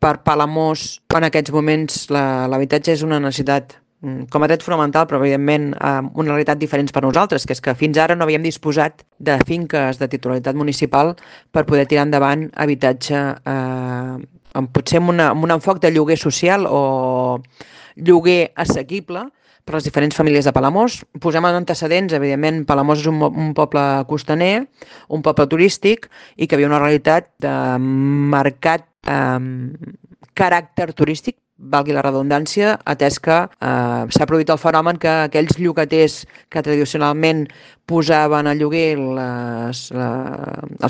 per Palamós, en aquests moments l'habitatge és una necessitat com a dret fonamental, però evidentment una realitat diferent per nosaltres, que és que fins ara no havíem disposat de finques de titularitat municipal per poder tirar endavant habitatge potser amb un enfoc de lloguer social o lloguer assequible per a les diferents famílies de Palamós. Posem en antecedents, evidentment, Palamós és un poble costaner, un poble turístic, i que havia una realitat de marcat caràcter turístic, valgui la redundància, atès que s'ha produït el fenomen que aquells llogaters que tradicionalment posaven a lloguer els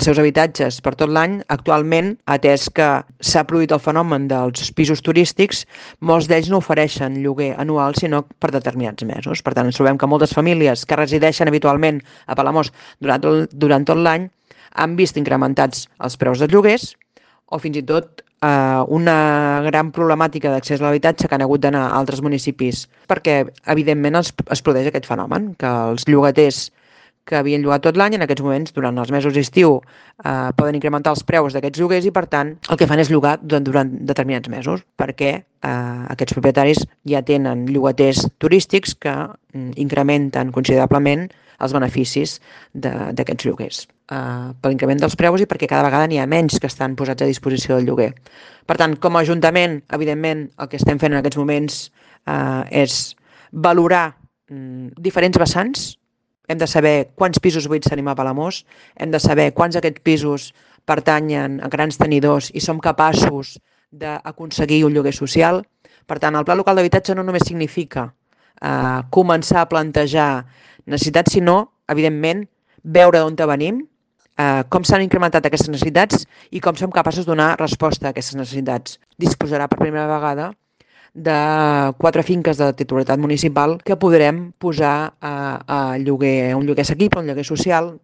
seus habitatges per tot l'any, actualment, atès que s'ha produït el fenomen dels pisos turístics, molts d'ells no ofereixen lloguer anual, sinó per determinats mesos. Per tant, ens trobem que moltes famílies que resideixen habitualment a Palamós durant tot l'any han vist incrementats els preus dels lloguers, o fins i tot una gran problemàtica d'accés a l'habitatge que han hagut d'anar a altres municipis, perquè evidentment es produeix aquest fenomen, que els llogaters que havien llogat tot l'any, en aquests moments, durant els mesos d'estiu, poden incrementar els preus d'aquests lloguers i, per tant, el que fan és llogar durant determinats mesos, perquè aquests propietaris ja tenen llogaters turístics que incrementen considerablement els beneficis d'aquests lloguers. Per l'increment dels preus i perquè cada vegada n'hi ha menys que estan posats a disposició del lloguer. Per tant, com a Ajuntament, evidentment, el que estem fent en aquests moments és valorar diferents vessants. Hem de saber quants pisos buits tenim a Palamós, hem de saber quants d'aquests pisos pertanyen a grans tenidors i som capaços d'aconseguir un lloguer social. Per tant, el Pla Local d'Habitatge no només significa començar a plantejar necessitats, sinó, evidentment, veure d'on venim, com s'han incrementat aquestes necessitats i com som capaços de donar resposta a aquestes necessitats. Disposarà per primera vegada de 4 finques de titularitat municipal que podrem posar a lloguer, un lloguer assequible, un lloguer social,